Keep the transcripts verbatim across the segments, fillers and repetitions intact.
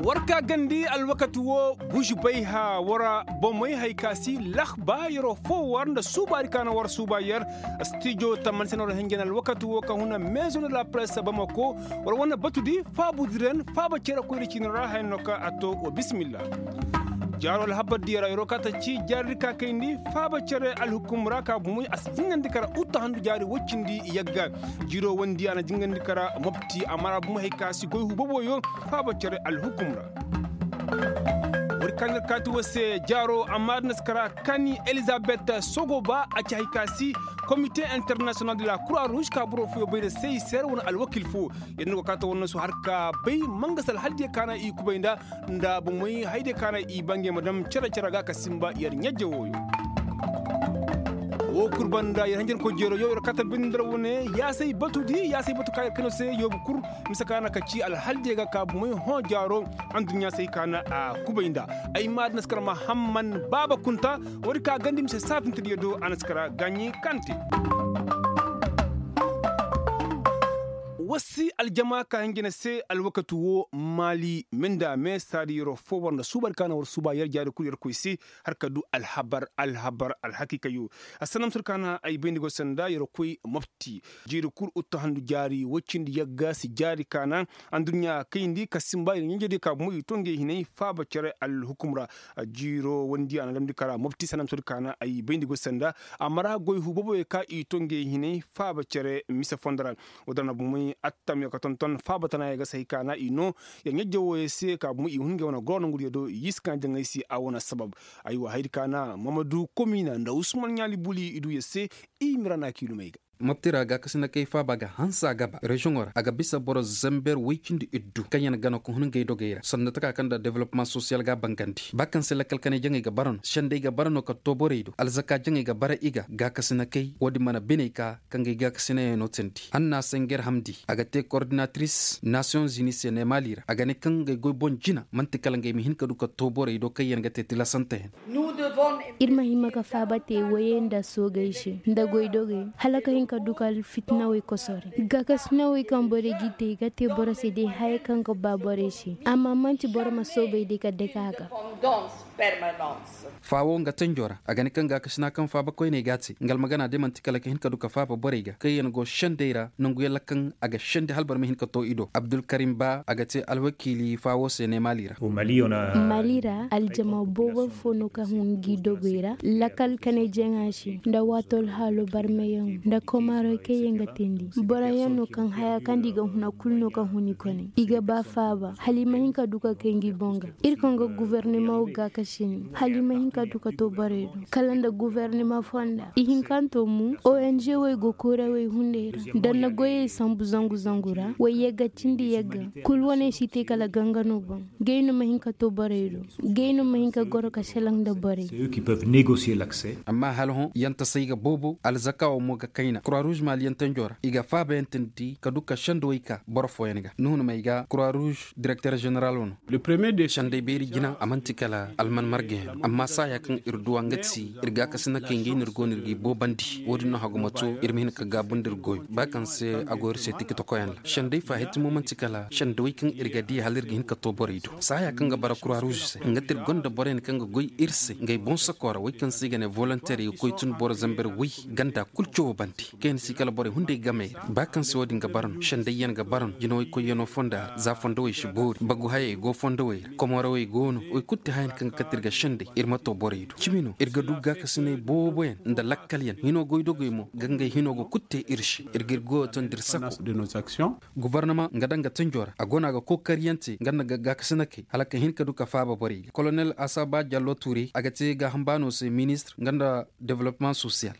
War ka gandi alwakati wo, bužubay ha war bomey hay ka si lahba yeroo foo war nda suubaari ka na war suuba yer. Stijo tamani se na war hinjan alwakati wo ka huna meezo nda la presse bamako. War wane batudi faabudiren faaba cere koyri ciini ra haya no ka a to wa bismillah. Jaaro alhabar diya ra yeroo ka ta ci jaaridi ka kayndi faaba cere alhukum ra ka bumey a si jingandi kara utta handu jaari woy cindi yagga. Jiiroo wondi a na jingandi kara mopti a mara bumey hay ka si goy hubaboyo. Faaba cere alhukum ra. War ka nir kaati war se jaaro amma da na si kara kani elizabet sogoba a ci hay ka si komite internasiyonal de la kura ruuž ka boro fooyo bay nda se i seer wane alwakil foo. Yer na go kaata war na su har ka bay mangas alhaldiyo ka na i kubay nda nda bumey haydiyo ka na i bangey ma dam cere cere ga ka simba yer ɲajje wooyo. Woo kul banda yer hanjankoy jeero yo yer kaata bindi nda ra wane yaasay batudi yaasay batu ka yer kayno se yoobu kul. Mise ka na ka ci alhaldiyo ga ka bumey hõ jaaro. Anduɲɲa se hay ka na a kubay nda ay ma da na si kara mahamman baaba kunta. Woodi ka gandi mise saafintediyo do a na si kara gaaɲi kante. War si aljama ka hinjina se alwakati woo maali minda me saadi yeroo foo war nda suuba di ka na war suuba yer jaari kul yer koy se. Har ka du alhabar alhabar alhakiikayo. Assanam sir ka na ay bayndi go sanda yer koy mopti. Jiiri kul uttu handu jaari woy cindi yagga si jaari ka na. Anduɲɲa kayndi ka simba yer ɲanjediyo ka bumey i to ngey hinay faaba cere alhukum ra. Jiiroo wondi a na damndi kara mopti sanam sodi ka na ay bayndi go sanda. A mara goy hubaboyo ka i to ngey hinay faaba cere mise fondo ra. Woo da na bumey attamyo ka tonton faaba tanayo ga si hay ka na i noo. Yer ɲajje wooyo se ka bumey i hun ngey wane goro nongudiyo do i si ka jaŋay se a wane sabab. Aywa haydi ka na mamadu komina nda usman ɲaali buli i du yer se. I mira na kiilumey ga. Mopti ra gaakasinakey faaba ga hanse a ga ba reziyoŋo ra a ga bisa boro zamber woy cindi iddu kaŋ yaŋ gana ka hun ngey dogey ra sanda taka kaŋ nda developmaŋ sosiyal ga a bangandi ba kaŋ se lakkal kanay jaŋey ga bara no sendey ga bara no ka too borey do alzaka jaŋey ga bara i ga gaakasinakey woodin mana biney ka ka ngey gaakasinayaŋo teendi hanna se nger hamdi a ga te kordinatiris nasiyoŋ zini se ne maali ra a ga ne kaŋ ngey goy boŋ jina man'ti kala ngey ma hin ka du ka too borey do kaŋ yaŋ ga te tilasanteyaŋ. Ir ma hima ka faaba te woyey nda soogey se nda goydogey hala ka hin ka du ka alfitinawey kosore. Gaakasinawey kaŋ borey g'i te i ga te boro se day haya kaŋ ga ba borey se amma man'ti boro ma soobay day ka dake a ga. Faawo nga tanjo ra a ga ne kaŋ gaakasina kaŋ faaba koyney g'a te nga almagana day man'ti kala ka hin ka du ka faaba borey ga kaŋ yaŋ go sendey ra nangu yalla kaŋ a ga sendi hala boro ma hin ka too i do abdulkarim ba a ga te alwakiili faawo se ne maali ra. Maali ra aljama boobo fo no kaŋ hun ngi dogey ra lakkal kanay jaŋa se nda waato alhaalo barmayaŋo nda komaarey kaŋ yaŋ ga teendi boroyaŋ no kaŋ haya kaŋ nda i ga huna kul no kaŋ hun i kone i ga ba faaba hala i ma hin ka du ka kay ngi boŋ ga. Ir kaŋ ga gufornimaŋo gaakasi ni hala i ma hin ka du ka too borey do kala nda gufornima fonda ihinkanto mo ong wey go koorawey hunday ra nda na goyey sambu zangu zangu ra way yagga cindi yagga kul wane si te kala ganga no boŋ. Gay no ma hin ka too borey do. Gay no ma hin ka goro ka selaŋ nda borey. Amma hala hõ yantasey ga boobo alzaka wo mo ga kayna kura ruuz maali yantanjo ra i ga faabayaŋ teendi ka du ka sendawey ka boro fooyaŋ ga nuhunumey ga kura ruuz direkter ženeral wo no. Sendey beeri jina a man'ti kala alman margayaŋ no amma saaya kaŋ ir duw'a nga ti ir gaakasinakey ngey no ir go no ir g'i boobandi wo-din no hagu ma to ir ma hin ka gaabu nda ir goyo ba kaŋ se a go ir se tikitokoyaŋ ra sendey faahitimo man'ti kala sendawey kaŋ ir ga dii hala ir ga hin ka too borey do saaya kaŋ ga bara kura ruuz se nga ti ir gonda boroyaŋ kaŋ ga goy ir se ngey boŋ sako ra wey kaŋ se i ga ne volonteer i ga koy tun boro zamber wey ganda kul cawo bande kaŋ yaŋ si kala borey hunday gamey ra ba kaŋ se wo-din ga bara no sendayyaŋ ga bara no jinawey koyyaŋo fonda ra za fondowey si boori bagu hayey go fondowey ra komorawey go no wey kul ti hayaŋ kaŋ ga kate ir ga sendey ir ma too borey do cimi no ir ga du gaakasiney booboyaŋ nda lakkalyaŋ hino goydogey mo ga ngey hino go kul te ir se ir ga ir goyo tondi ir sako. Gufornama nga daŋ ga tanjo ra a go no a ga kookaryaŋ te nga nda gaakasinakey hala ka hin ka du ka faaba borey ga kolonel asaba jallo tuure a ga te gaaham baano se ministir nga nda developmaŋ sosiyal.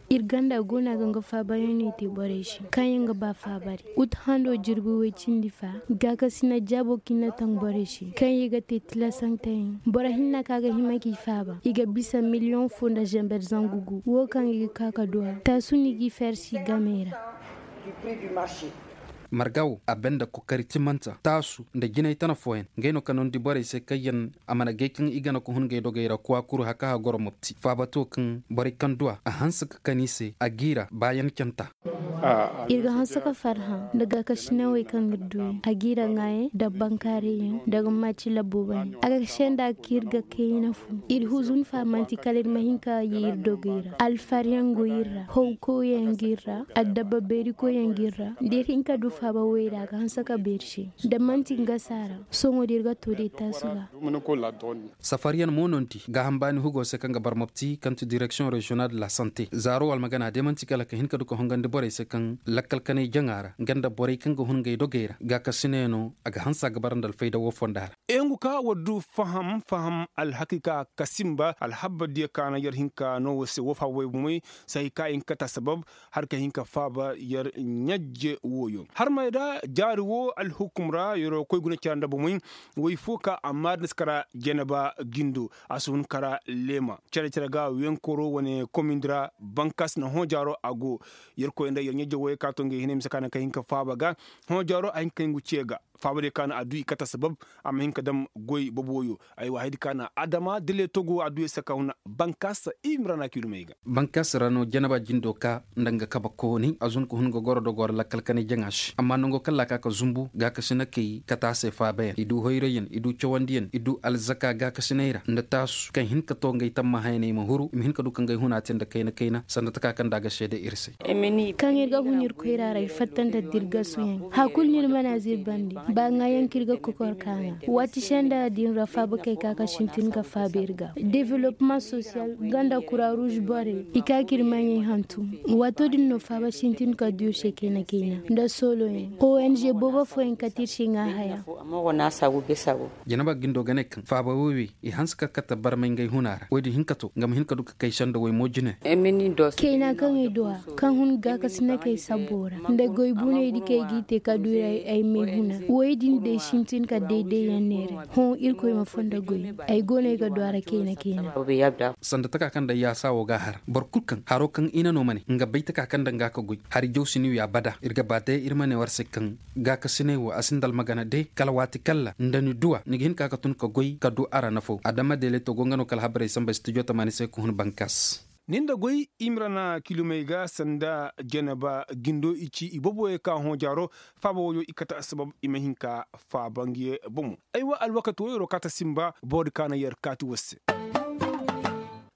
Ir ganda go no a ga nga faabayaŋ no i te borey se kaŋ yaŋ ga ba faabari ut hando jirbi woy cindi fa gaakasina jaabo kaŋ i na taŋ borey se kaŋ i ga te tilasanteyaŋ boro hinna kaŋ a ga hima k'i faaba i ga bisa miliyoŋ fo nda zamber zangu gu wo kaŋ i ga ka ka du a taasu no i g'i feersi gamey ra. Marga wo a banda kokari timanta taasu nda jinay tana fooyaŋ. Ngey no ka nondi borey se kaŋ yaŋ a mana gay kaŋ i gana ka hun ngey dogey ra kuwa kuru haka ha goro mopti faaba to kaŋ borey kaŋ duwa a hanse ka kan i se a g'i ra baayaŋ canta. Ir ga hanse ka farhã nda gaakasinawey kaŋ ga duuyaŋ a g'i ra ŋaayaŋ nda bankaarayyaŋ nda ga maaci labbo bane a ga senda ka ir ga kayna fo. Ir huzun faamanti kala ir ma hin ka ye ir dogey ra alfaryaŋ go ir ra howkoyyaŋ g'ir ra. Addabba beerikoyyaŋ g'ir ra nda ir hin ka du faaba woy ra a ga hanse ka beeri se. Da man'ti nga saara sohõ da ir ga too day taasu ga. Safaryaŋ mo no nti gaaham baani hugo se kaŋ ga bar mopti kaŋ ti direksiyoŋ reziyonal de la sante zaaro almagana day man'ti kala ka hin ka du ka hongandi borey se kaŋ lakkal kanay jaŋa ra nga nda borey kaŋ ga hun ngey dogey ra gaakasiney no a ga hanse a ga bara nda alfayda woo fonda ra. Eŋ ka war du faham faham alhakiika ka sinba alhabba diya ka na yar hinka no wo se wo faaba way bomey. Sahi ka i hin ka ta sabab har ka hin ka faaba yar ɲajje wooyo har may da jaari wo alhukum ra yar koy guna cara nda bomey. Way fo ka amma da ni si kara janaba gindo a si hun kara leema care care ga wenkoro wane komindi ra bankas na hõ jaaro a go. Yar koy nda yar ɲajje wooyo ka to ngey hinay mise ka na ka hin ka faaba ga hõ jaaro a hin ka hin ga ce ga faaba diya ka na a du i kata sabab. A ma hin ka dam goy bobo wooyo. Aywa haydi ka na adama dile togo a du ya saka huna bankas i ma ra na kilumey ga. Bankas ra no janaba jindo ka nda nga kaba kooni a zun ka hun ga goro dogo ra lakkal kanay jaŋa se amma nango kaŋ laaka ka zumbu gaakasina kay kata se faabayaŋ i du hoyrayaŋ i du cawandiyaŋ i du alzaka gaakasinay ra nda taasu kaŋ hin ka to ngey tammahayaney ma huru i ma hin ka du ka ngey huna te nda kayna kayna sanda taka kaŋ nda a ga seede ir se. Kaŋ ir ga hun ir koyra ra ir fatta nda dirgasoyaŋ. Hakul no ir mana zir bande ba ŋaayaŋ kaŋ ir ga kokor ka ŋaa waati senda din ra faaba kay ka ka sintin ka faaba ir ga development social nga nda kura ruuz borey i ka ka ir maɲey hantum. Waato din no faaba sintin ka du ir se kayna kayna nda sooloyaŋ ong boobo fooyaŋ kate ir se ŋaa haya. Janaba gindo ga ne kaŋ faaba woy wey i hanse ka kate barmay ngey huna ra woy din hin ka to nga ma hin ka du ka kay senda woy mo jine. Kayna kaŋ ay du a kaŋ hun gaakasinakey sabbo ra nda goy buney di kaŋ ay g'i te ka du ay may huna woy din day sintin ka dayday yaŋ neeray. Hõ irkoy ma fondo goy ay go no ay ga du a ra kayna kayna. Sanda taka kaŋ day yaasa wo ga a har boro kul kaŋ haro kaŋ i na no ma ne nga bay taka kaŋ nda nga ka goy hari jaw si ni wi abada ir ga ba day ir ma ne war se kaŋ gaakasinay wo a sinda almagana de kala waati kalla nda ni duwa ni ga hin ka ka tun ka goy ka du a ra nafo adama deeleto go nga no kala habarey samba studio tamaani se ka hun bankas. Ni nda goy i ma ra na kilumey ga sanda janaba gindo i ci i boboyey ka hõ jaaro faaba woyo i kate assabab i ma hin ka faaba nga ye bomo. Aywa alwakati woyoro ka ta sinba boro di ka na yer kaati war se.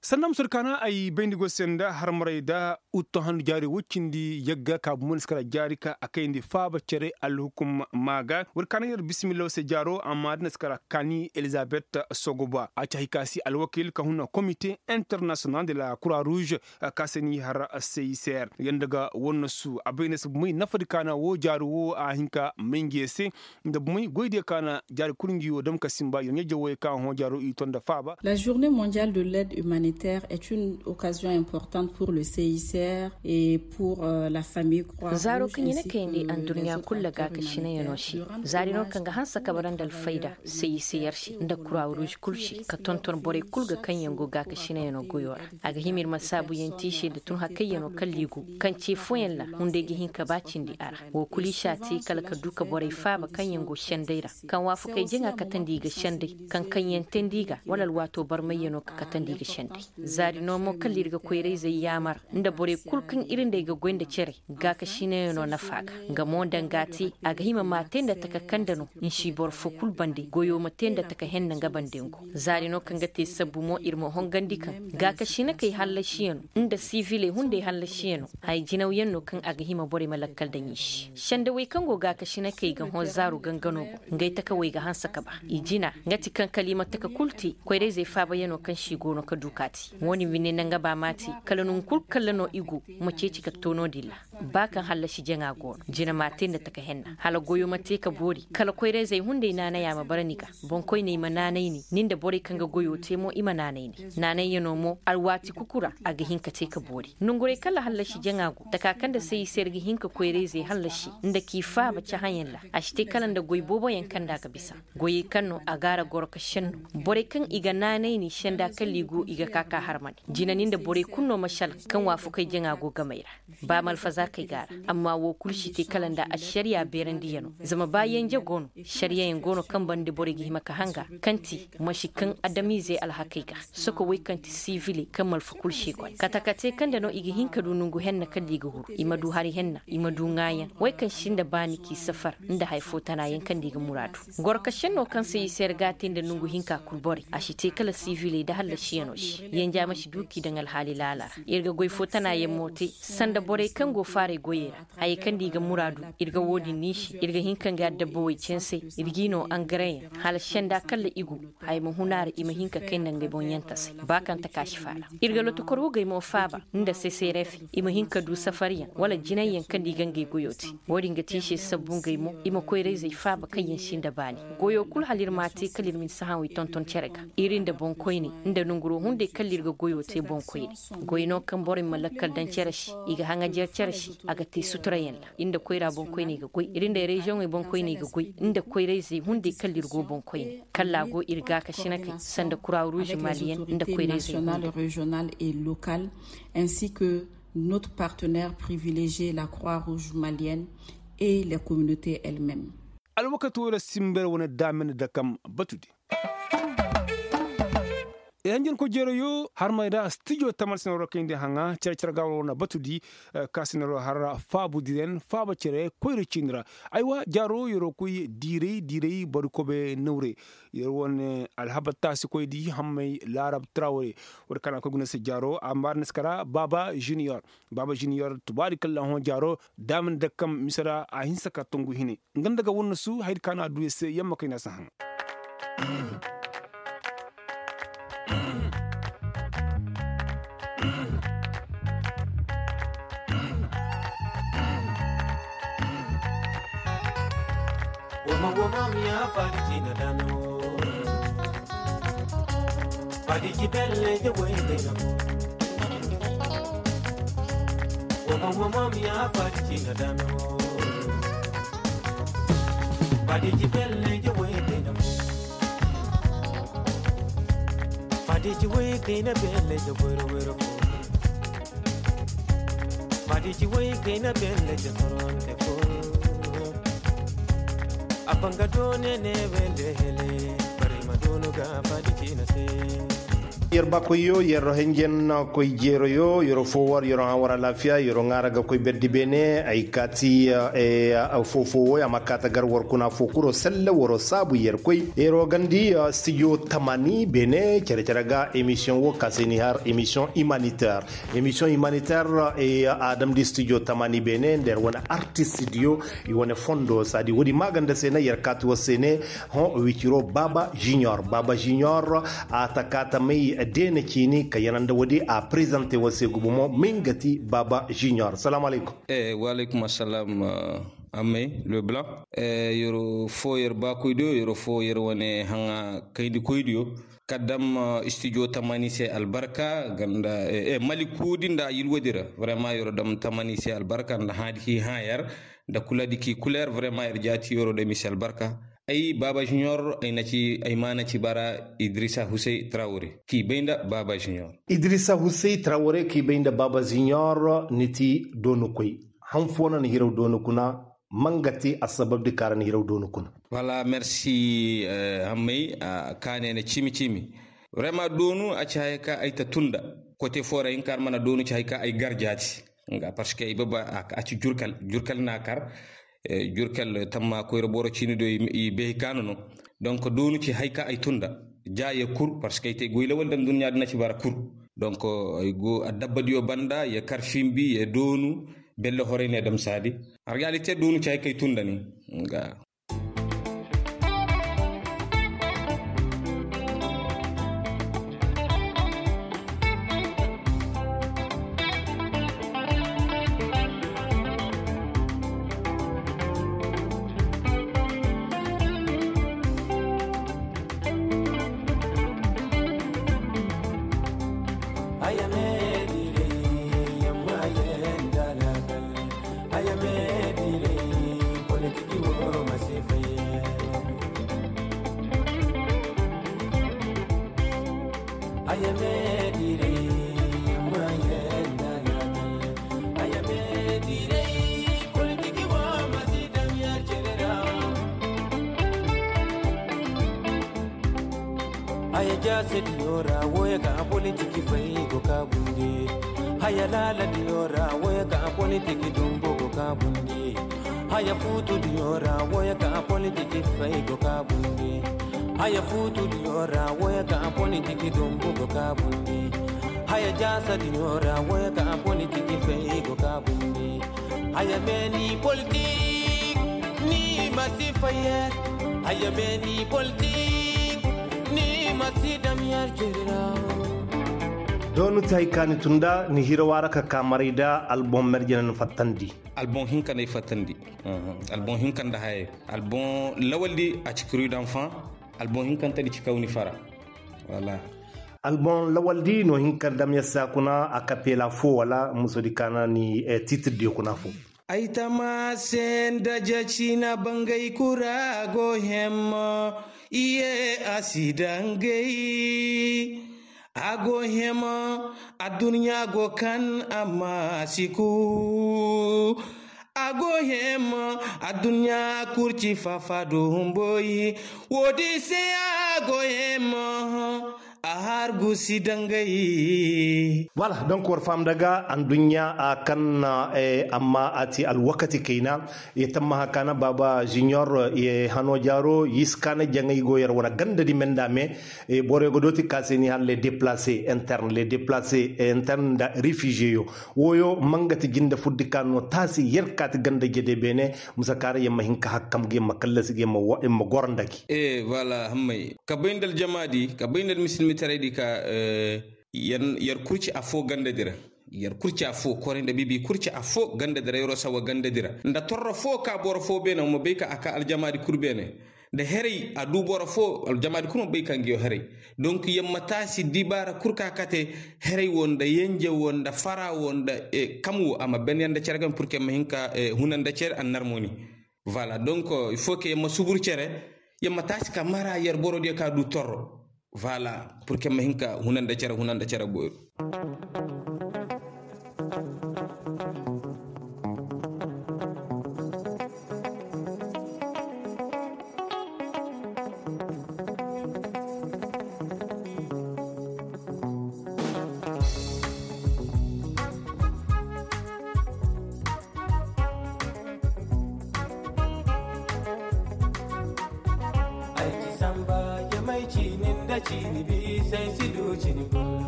Sanda musur kaana ay bayndi go se nda harmaray da utto handu jaari woy cindi yagga ka bumandi si kara jaari ka a kayndi faaba cere alhukum maa ga war kaana yer bisimillaw se jaaro amma da na si kara kaani elizabet sogoba a ci hay ka si alwakil ka huna komite international de la croix rouge. Ka se ni har seyser yanda ga wannasu a bay na si bumay nafadi kaana wo jaari wo a hin ka may ngi ye se nda bumay goydiyo kaana jaari kul ngi wo dam ka simba yo ɲa jawey ka hõ jaaro i to nda faaba. La journée mondiale de l'aide humanitaire est une occasion importante pour le cicr et pour la famille croix rouge ainsi que les autres organisations de la croix rouge. Zaaro kaŋ i na kayandi andurɲa kul ra gaakasinayano se zaari no kaŋ ga hanse ka bara nda alfayda cicr se nda croix rouge kul se ka tonton borey kul ga kaŋ yaŋ go gaakasinayano goyo ra. A ga hima ir ma saabuyaŋ te i se nda tun hakayyano kalla i go kaŋ ce fooyaŋ ra hunday ga hin ka ba cindi a ra. Wo kul i si a te kala ka du ka borey faaba kaŋ yaŋ go senday ra kaŋ waafakey jaŋa katandi i ga senday kaŋ kaŋyaŋ teendi i ga wala alwaato barmayyano ka katandi i ga senday. Zaari no mo kala ir ga koyra-izey yaamar nda borey kul kaŋ ir nd'ey ga goy nda cere gaakasinayano nafa ga nga mo danga te a ga hima m'a te nda taka kande no. Nsi boro fo kul bande goyo ma te nda taka henne nga bande ngo. Zaari no kaŋ ga te sabbu mo ir ma hongandi kaŋ gaakasinakey hallasiyano nda siviley hunday hallasiyano haya jinawyaŋ no kaŋ a ga hima borey ma lakkal daŋ i se sendawey kaŋ go gaakasinakey ga hõ zaaru gangano boŋ ngey takawey ga hanse ka ba i jina nga ti kaŋ kala i ma taka kul te koyra-izey faabayano kaŋ se i go no ka du ka te wo-din bine nda nga ba m'a te kala nangu kul kalla no i go ma ceeci ka to no-din ra. Ba kaŋ hallasi jaŋa go no jina m'a te nda taka henna hala goyo ma te ka boori kala koyra-izey hunday naanaya ma bara ni ga. Boŋkoyney ma naanay ni ni nda borey kaŋ ga goyo te mo i ma naanay ni naanayyano mo alwaati kuku ra a ga hin ka te ka boori nongurey kala hallasi jaŋa go taka kaŋ nda sayi se ir ga hin ka koyra-izey hallasi nda k'i faaba cahãyaŋ ra a si te kala nda goy booboyaŋ kaŋ nda a ga bisa goyey kaŋ no a ga a ra goro ka senno borey kaŋ i ga naanay ni senda kalla i go i ga ka ka harmandi jina ni nda borey kulu no ma sal kaŋ waafakey jaŋa go gamey ra. Ba ma alfaza alhakey ga a ra. Amma woo kul si te kala nda ašariyaa beerandiyanoo. Zama ba yenje go no, ašariyayaŋ go no kaŋ banda borey ga hima ka hanga, kaŋ ti, ma si kaŋ adamiizey alhakey ga. Soko wey kaŋ ti siviley kaŋ malfa kul si goy kate ka te kaŋ nda no i ga hin ka du nongu henna kaŋ nda i ga huru i ma du hari henna i ma du ŋaayaŋ, wey kaŋ si nda baani k'i safar, nda haya foo tanaayaŋ kaŋ nda i ga muraadu. Goro ka šennoo kaŋ se i se ir ga a te nda nongu hinka kul borey a si te kala siviley nda hallasiyanoo se. Yenja ma si du k'i daŋ alhaali laala ra. Ir ga goy foo tanaayaŋ mo te, sanda borey kaŋ go faaray goyey ra, hayey kaŋ nda i ga muraadu, ir ga woo din niisi ir ga hin ka nga adabba wey canse, ir g'i noo angareyaŋ, hala senda kalla i go, haya ma hun a ra i ma hin ka kay nda ngey boŋ yantasay ba kaŋ taka si faala. Ir ga lotokor wugey mo faaba, nda seserefe, i ma hin ka du safaryaŋ wala jinayyaŋ kaŋ nda i ga ngey goyoo te. Woo din ga te i se sabbu ngey mo i ma koyra-izey faaba kaŋ yaŋ si nda baani. Goyoo kul hala ir m'a te kala ir ma ni sahãawey tonton cere ga, ir nda boŋkoyney, nda nonguroo hunday kala ir ga goyoo te boŋkoyney. Goy no kaŋ borey ma lakkal daŋ cere se, i ga haŋajer cere se, a ga te suturayaŋ ra. Ir nda koyra boŋkoyney ga goy ir nda reziyoŋey boŋkoyney ga goy, nda koyra-izey hunday kala ir go boŋkoyney, kala a go ir gaakasinakey sanda kura ruuz maliyen nda koyra-izey hunday. Ainsi que notre partenaire privilégié la croix rouge malienne et les communautés elles-mêmes. Alwakati wo ra simber wane daamina dakam batudi. Ay hanjankoy jeerayoo harmay ra stijo taman sinaroo kayndi haŋa care care ga war wane batudi. Ka sinaroo har faabu diren faaba care koyra ciini ra. Aywa jaaroo yeroo koy diiray diiray boro kobe nawre. Yer wane alhabar taasikoydi hammay laarab trawre. Woodi kaŋ a koy guna se jaaroo a maari ni si kara baaba juniyor. Baaba juniyor tubaari kaŋ laahõ jaaroo daamina dakam mise ra a hinsa ka tungu hine. Nga nda ga wannasu hayadi ka no a du ya se yamma kayna si haŋ. Woma woma mi ya fadi ci na dano. Fadi ci belle je wai de na. Woma woma mi ya fadi ci na dano. Fadi ci belle je wai de na. Fadi ci wai de na belle je wero wero. Fadi ci wai de na belle je soronte fo. A banga done ne belle hele. Bari ma donu ga fadi ci na se. Yer bakoyyo yer henjen koy jeeroyo yer fo war yer haŋ war alaafiya yer ŋaara ga koy berdi beene ay kaati. Foo foo wo a ma kaata gar war kuna foo kuro selle war saabu yer koy yer gandi. Stijo tamani beene cere cere ga emisiyoŋ wo ka se ni har emisiyoŋ imaniter. Emisiyoŋ imaniter a damndi stijo tamani beene nda yer wane artist diyo. I wane fondo saadi woodi maaganda se na yer kaati war se ne. Hõ wiciro baaba junior baaba junior. A ta ka ta may deena ciini ka yana nda woodi a prezante war se gumo mo may nga ti baaba junior salaamu alaykum. Waaleykum assalam. Ammay leblanc. Yer foo yer baakoydiyo yer foo yer wane haŋa kayndikoydiyo. Ka dam stijo tamani se albarka ganda maliku di nda yilwadi ra. Vraiment yer dam tamani se albarka nda hãadi ki hã yer. Nda kuladi ki kuler vraiment yer jaati yer dam i se albarka. Ay baaba junior ay na ci ay maana ci bara idrisa husey trawre k'i bay nda baaba junior. Idrisa husey trawre k'i bay nda baaba junior ni ti doonukoy. Han foo na ni hiraw doonu kuna? Ma nga te assababdi kaŋ ra ni hiraw doonu kuna? Wala merci. Hammay ka ne na cimi cimi. Vraiment doonu a ci haya kaŋ ay ta tun nda kote foo ra hinka ra mana doonu ci haya kaŋ ay gar jaati. Nga parce que ay baba a ci jurkal jurkal na kar. Jurkal tamma koyra boro ciini do i behi kaanu no. Donc doonu ci hay ka ay tun nda ja ye kur parce que ay te goy lawal daŋ dunya dina ci bara kur. Donc ay go adabba diyo banda ye kar fimbi ye doonu. Belle horay ne dam saadi. Argaalite doonu ci hay ka ay tun nda ni. Nga. Sediyo ra woya ka a politiki fay go ka bundi. Haya laaladiyo ra woya ka a politiki dumbu go ka bundi. Haya fuutudiyo ra woya ka a politiki fay go ka bundi. Haya fuutudiyo ra woya ka a politiki dumbu go ka bundi. Haya jaasadiyo ra woya ka a politiki fay go ka bundi. Haya meeni politik ni ma si fayer. Haya meeni politik ni ma si dam yer jeri ra. Doonu ti hay ka ni tun da ni hira waara ka ka maray da alboŋ merjene ni fattandi. Alboŋ hinka nda ay fattandi. Alboŋ hinka nda hayey. Alboŋ lawaldi a ci kuri danfaŋ. Alboŋ hinkantedi ci kawni fara. Wala. Alboŋ lawaldi no hinka nda dam yer saakuna a kapeela fo wala musodi kaana ni tiitirdiyo kuna fo. Ay tama se nda ja ciina bangay kura go hemma. Iye a si dangay. A go hemma. Adduɲɲa go kan amma a si ku. A go hemma. Adduɲɲa kurci fafa do humboyi. Woodi se a go hemma. A har gusi dangay. Wala donk war faham daga anduɲɲa a kan amma a ti alwakati kayna. Ye tammaha kaana baaba junior ye hano jaaro yis kaana jaŋay go yer wane gandadi menda me. Borey go dooti ka se ni har les déplacés interne les déplacés interne nda réfugié yo. Wooyo mangati jinde furdi ka no taasi yer kaati ganda jede beene. Musa kaara yer ma hin ka hakkam ga yer ma kallasi ga yer ma goro nda gi. Ee wala hammay ka bay nda aljamaadi ka bay nda almisilmitaraydi ka yer kurci affoo gandadi ra. Yer kurci affoo koray nda bibi kurci affoo gandadi ra yeroo sawa gandadi ra nda torro foo ka boro foo beene wa ma bay ka a ka aljamaadi kul beene. Nda heray a duu boro foo aljamaadi kul ma bay ka ngiyo heray. Donk yer ma taasi dibaara kul ka kate heray woo nda yenje woo nda fara woo nda kam woo a ma ben yer nda cere game purke yer ma hin ka huna nda cere annar moni. Voilà donk il faut que yer ma subur cere. Yer ma taasi ka mara yer borodiyo ka duu torro. Voilà purke yer ma hin ka huna nda cere huna nda cere boyru. Ay ci samba jamay ciini nda ciini biisay si du cini kulu.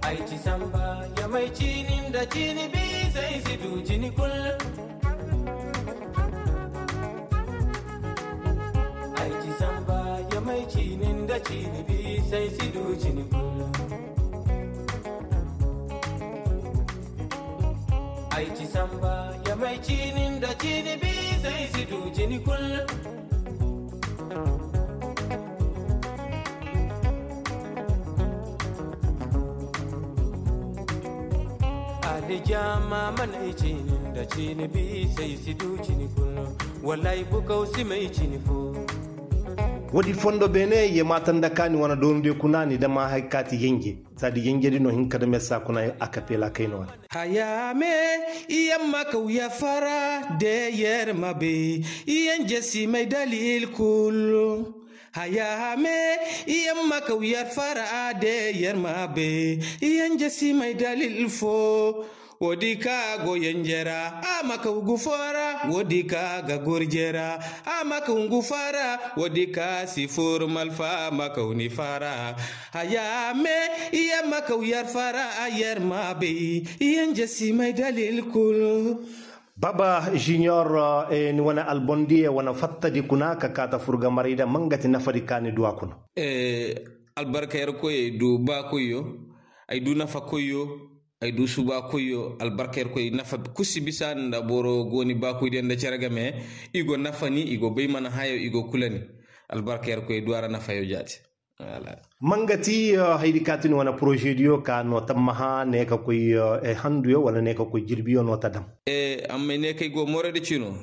Ay ci samba jamay ciini nda ciini biisay si du cini kulu. Ay ci samba jamay ciini nda ciini biisay si du cini kulu. Ay ci samba jamay ciini nda ciini biisay si du cini kulu. Alijama manay ciini nda ciini biisay si du cini kulu. Wallaahi bukaw si may cini fo. Woodi fondo beene ye maata nda ka ni wane doonu de kuna ni dama hay kaati yenje. Saadi yenjedi no hin ka dame saa kuna a kapeela kay no wane. Haya me iyamma kaw ya fara de yer ma bay. Yenje si may dalil kulu. Haya me iyamma kaw ya fara de yer ma bay. Yenje si may dalil fo. Woodi ka go yenje ra a ma kaw ngu foo ra. Woodi ka ga gurje ra a ma kaw ngu foo ra. Woodi ka si fur malfa a ma kaw ni fara. Haya me iyamma kaw yer fara a yer ma bay. Yenje si may dalil kulu. Baba junior, ni wane albondi ye wane fattadi kuna ka kaata furga maray da mangati nafadi ka ni du a kuna. Albarka yerkoy ay du baakoyyo. Ay du nafakoyyo. Ay du subaakoyyo albarka yerkoy nafa kusi bisa nda boro gooni baakoydiyaŋ nda cere game. I go nafani i go bay mana hayo i go kulani. Albarka yerkoy ay du a ra nafayo jaati. Mangati haydi ka ti ni wane porozediyo ka no tammaha ne ka koy handuyo wala ne ka koy jirbiyo no ta dam. Amma ne kay go morodi cino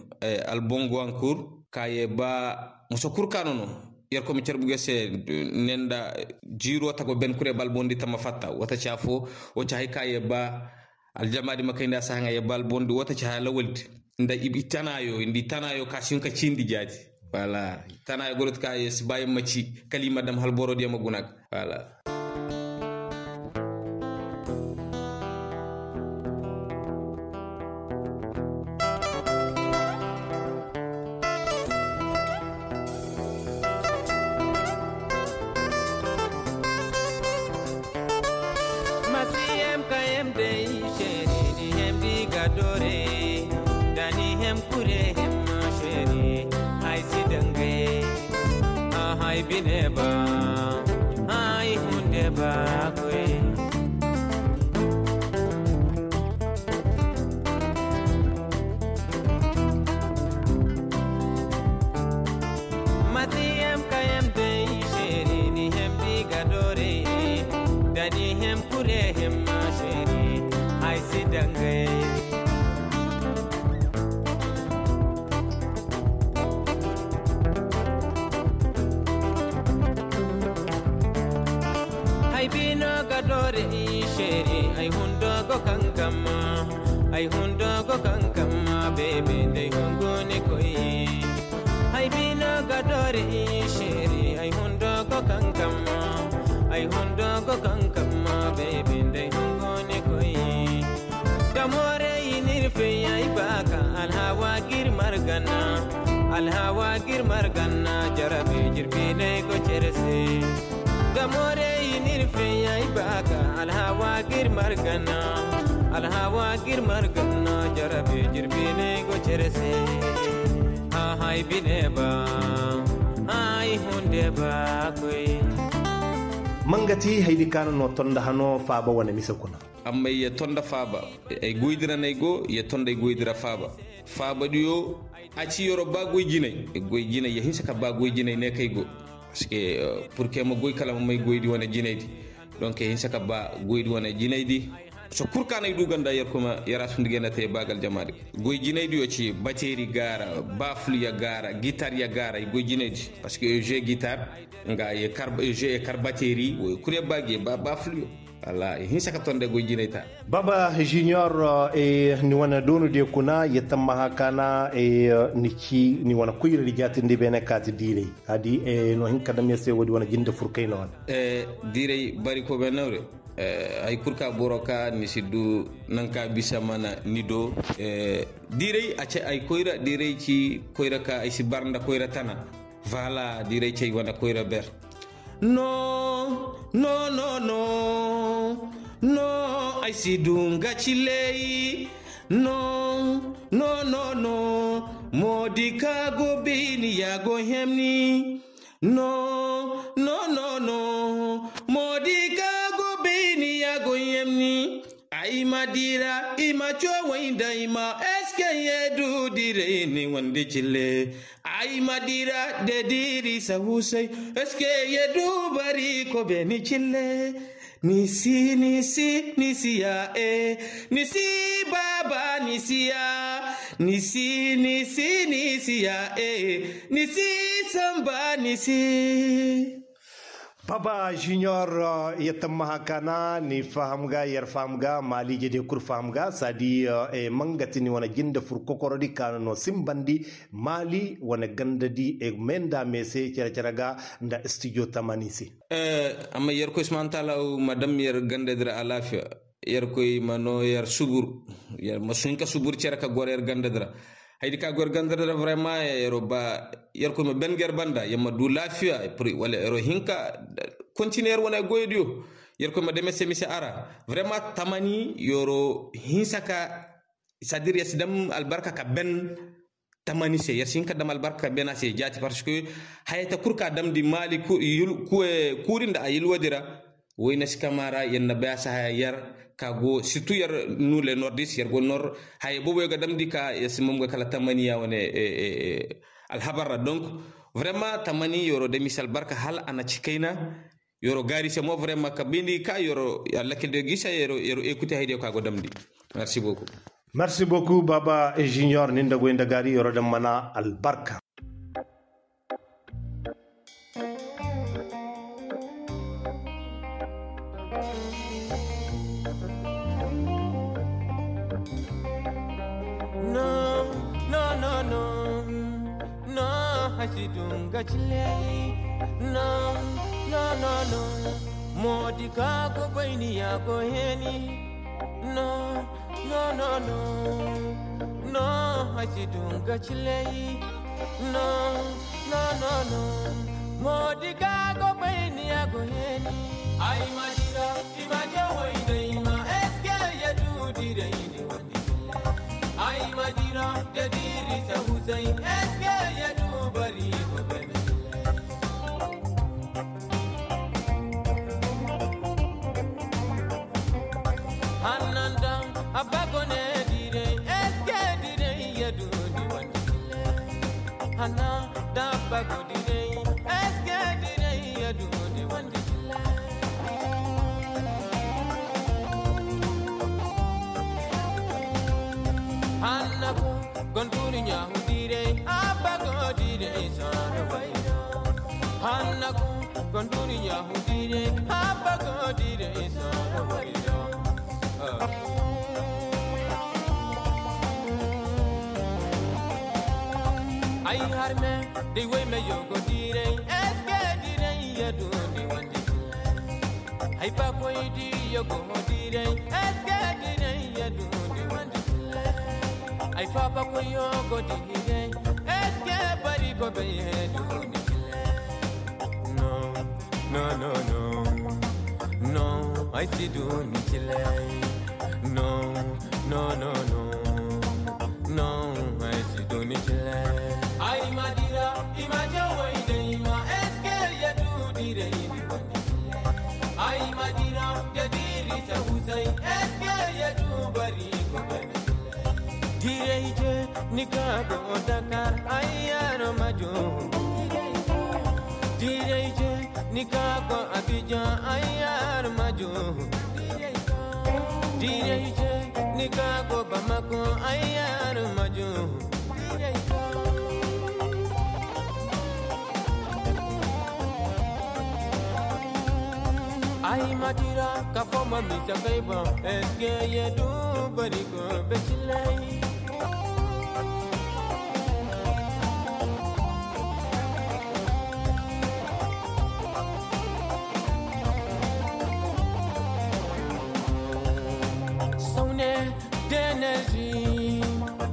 albongo ankur ka ye ba muso kurkano no. Yerkoy ma carbu ga se ne nda jiiro tago ben kure balbondi tamma fatta wata ci afo. Wata hay ka ye ba aljamaadi ma kay nda sahaŋa ye balbondi wata ci hala waldi nda i tanaayo nda i tanaayo ka si hin ka cindi jaati. Wala tana ya goroti ka ya si ba ya ma ci kala i ma dam hala boro diya ma guna ga. Wala. Masi hem ka hem dey, šeri ni hem di ga dore. Da ni hem kure hem ma šeri, ay si dangay. Aha ay bine ba, ay hunde ba koy. Mati hem ka hem dey, šeri ni hem di ga dore. Da ni hem kure hem ma šeri, ay si dangay. Ay bino ga dore, šeri, ay hundo go kankam. Ay hundo go kankam, bebe, ndey hungu ni koy. Ay bino ga dore, šeri, ay hundo go kankam. Ay hundo go kankam, bebe, ndey hungu ni koy. Da more i n'ir fey ay ba ka alhawa gir margana. Alhawa gir margana, jarabe jirbi ne go cere se. Da more i n'ir fey ay ba ka alhawa gir margana. Alhawa gir margana, jarabe jirbi ne go cere se. Aha ay bine ba, ay hunde ba koy. Mangati haydi kaana no tonda hano faaba wane mise kuna. Amma ya tonda faaba. Ay goydi ra no ay go, ya tonda ay goydi ra faaba. Faabadiyo, a ci yoro ba goy jinay. Goy jinay, ya hinsa ka ba goy jinay ne kay go. Parce que, euh, pour que ma goy kala ma may goydi wane jinaydi. Donc ya hinsa ka ba goydi wane jinaydi. So kul ka no ay du ganda, yer kuma, yer a sundi ganda te ba gal jamaadi. Goy jinaydiyo ci bateri gaara, baful ya gaara, gitar ya gaara, ay goy jinaydi. Parce que je gitar, nga ye kar, je ye kar bateri, wo kul ya ba ge ba, baful yo. Wala, i hinsa ka tonda goy jinay ta. Baba Junior, eh, ni wane doonu diyo kuna, ya tammaha kaana, eh, ni ci, ni wane koyra di jaatindi beene kaati diiray. A di, eh, no hin ka dam ya se woodi wane jinde furkay no wane. Eh, diiray bari ko be nawre. Eh, hay kul ka boro ka ni si du nan ka bisa mana ni do. Eh, diiray a ce ay koyra, diiray ci koyra ka ay si bar nda koyra tana. Voilà, diiray ci ay wane koyra ber. No, no, no, no. No, ay si du nga ciley. No, no, no, no. Moodi ka go bayni ya go hemni. No, no, no, no. Moodi ka go bayni ya go hemni. Ay ma dira, i ma coway nda i ma, eske ye du dira i ni wandi cille. Ay ma dira de diri sa husay, eske ye du bari ko beni cille. Ni si, ni si, ni si ya, eh. Ni si, baba, ni si ya. Ni si, ni si, ni si ya, eh. Ni si, samba, ni si. Baba Junior, eh, ya tammaha kaana ni faham ga, yer faham ga, maaliije de kul faham ga, saadi, eh, mangati ni wane jinde fur kokorodi kaana no simbandi, maali wane gandadi, eh, me nda me se cere-cere ga nda studio tamani se. Eh, amma Yerkoy subhanahu wa taala ma dam yer gandadi ra alaafiya. Yerkoy ma noo yer subur. Yer ma sun ka subur cere ka goro yer gandadi ra. Haydi ka goro yer gandadi ra, vraiment, yer ba, Yerkoy ma ben ga yer banda, yer ma du laafiya, wala yer hinka continuer yer wane goydiyo. Yerkoy ma dam yer se mise a ra. Vraiment, tamani yer hinsa ka, c'est-à-dire yer si dam albarka ka ben tamani se, yer si hin ka dam albarka ka ben a se jaati, parce que hayata kul ka damndi maali ku-, yul-, ku-, eh, kuuri nda a yulwadi ra, woyne si kama ra, yer na bay a si haya yer ka go, surtout yer, nous les nordistes, yer go nord, haya boobo yer ga damndi ka yer si mam ga kala tamani ya wane, eh, eh, eh, alhabar ra. Donc, vraiment, tamani yer dam i se albarka hal a na ci kayna, Yer gaari se mo vraiment ka bindi ka yer, Alla kil de gisa yer, yer écouter haydiyo ka go damndi. Merci beaucoup. Merci beaucoup, Baba Junior, ni nda goy nda gaari yer dam mana albarka. No, no, no, no. No, ay si Dunga ciley. No, no, no, no. Moodi ka go bayni ya go heni. No, no, no, no. No, ay si dunga ciley. No, no, no, no. Moodi ka go bayni ya go heni. Ay ma dira, i ma jaway day ma eske ya du diray ni wani. Ay ma dira da diri ta husay eske ya du bari ko bene. Hannanda abba gone diray eske diray ya du ni wani. Hanna da abba go diray eske diray ya du ni wani. Hanna go gonduni ɲahu diray abba go diray sara wayra. Hanna go gonduni ɲahu diray abba go diray sara wayra. Ay harme day way me yogo diray eske diray ya du ni wani. Ay ba koy di yogo diray eske diray ya du ni wani. Ay fa ba koy yogo diray eske bari go be ya du ni. No, no, no, no. No, ay si du ni cilay. No, no, no, no. No, ay si du ni cilay. Ay ma dira, i ma jaway day ma eske ya du diray ni wani. Ay ma dira da diri ta husay eske ya du bari ko bene. Diray je ni ka go Dakar ay yar ma jo. Diray je ni ka go Abidjan ay yar ma jo. Diray je ni ka go Bamako ay yar ma jo. Ay ma dira ka fo ma mi sa kay boŋ eske ye du bari ko be cilay. Sawne denerzi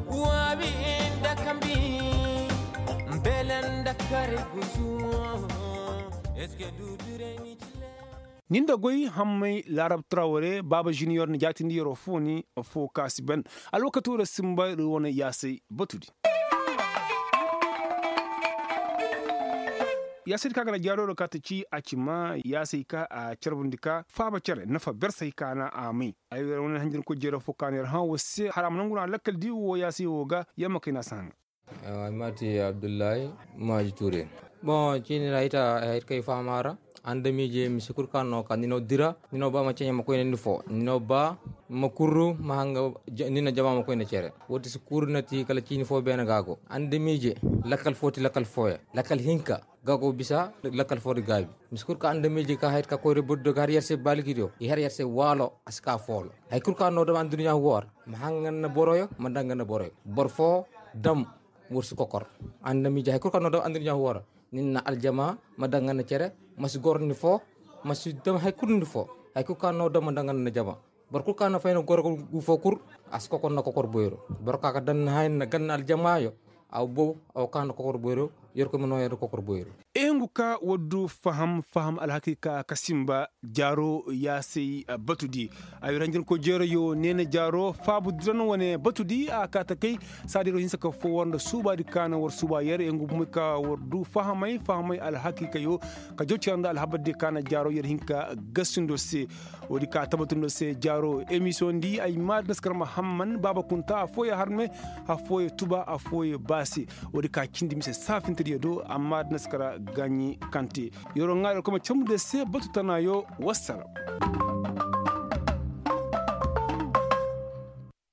wabi inda kambi mbelen da kare gusu. Eske du dure ni cile. Nin da goy hammay laarab traware baaba juniyor na jaatindi yeroo foo ni foo kaasi ben. Alwakatoo ra simba ir wane yaasay batudi. Yaasay di ka ga na jaaroo ra ka ta ci a ci ma yaasay ka a carbundi ka faaba cere nafa bersay ka na a may. Ay wane hanjin ko jeeroo foo ka na yer hã woo se har a ma nangu no a lakkal di woo yaasay woo ga yer ma kay na a si haŋa. Ay ma ti abdullahi maaji ture. Boŋ ciini ra ay ta ay kay fahama ra. Andamiije mise kul ka no ka ni no dira ni no ba ma ceɲe ma koyne ni fo ni no ba ma kurru ma hanga ni na jama ma koyne cere. Woo ti si kuru na ti kala ciini fo beene ga go andamiije. Lakkal fo ti lakkal fooya lakkal hinka ga go bisa lakkal fo di gaabi. Mise kul ka andamiije ka hayat ka koyre boddo ga har yer se baaliki do i har yer se waalo a si ka foolo. Hay kul ka no dama anduniya woo ra ma hanga na boroyo ma danga na boroyo boro fo dam. Woo si kokor andamiije hay kul ka no dama anduniya woo ra. Ni na aljama ma danga na cere ma si gor ni fo ma si dam hay kul ni fo. Hay kul ka no dama danga na jama boro kul ka na fay na gor gu fo kul. A si kokor na kokor boyro boro ka ka dan na hay na ganna aljamayo. Aw bow aw ka na kokor boyro yer koy ma no yer kokor boyro. Ehengu ka war du faham faham alhakiika ka simba jaaro yaasay batudi. Ay ranjin ko jeerayo neena jaaro faabu diran wane batudi a ka ta kay. Saadiro hinsa ka fo war nda suubaadi ka na war suuba yer ehengu bumey ka war du fahamay fahamay alhakiikayo ka jaw cira nda alhabardi ka na jaaro yer hin ka gasindo se. Woodi ka tabatundo se jaaro emisiyoŋ di ay maadi na si kar mahamman baaba kunta affooyaŋ harme affooyaŋ tuba affooyaŋ baase. Woodi ka cindi mise saafintediyo do amma da na si kar gaaɲi kante. Yeroo ŋaari alkoma cambude se batu tanaayo wassara.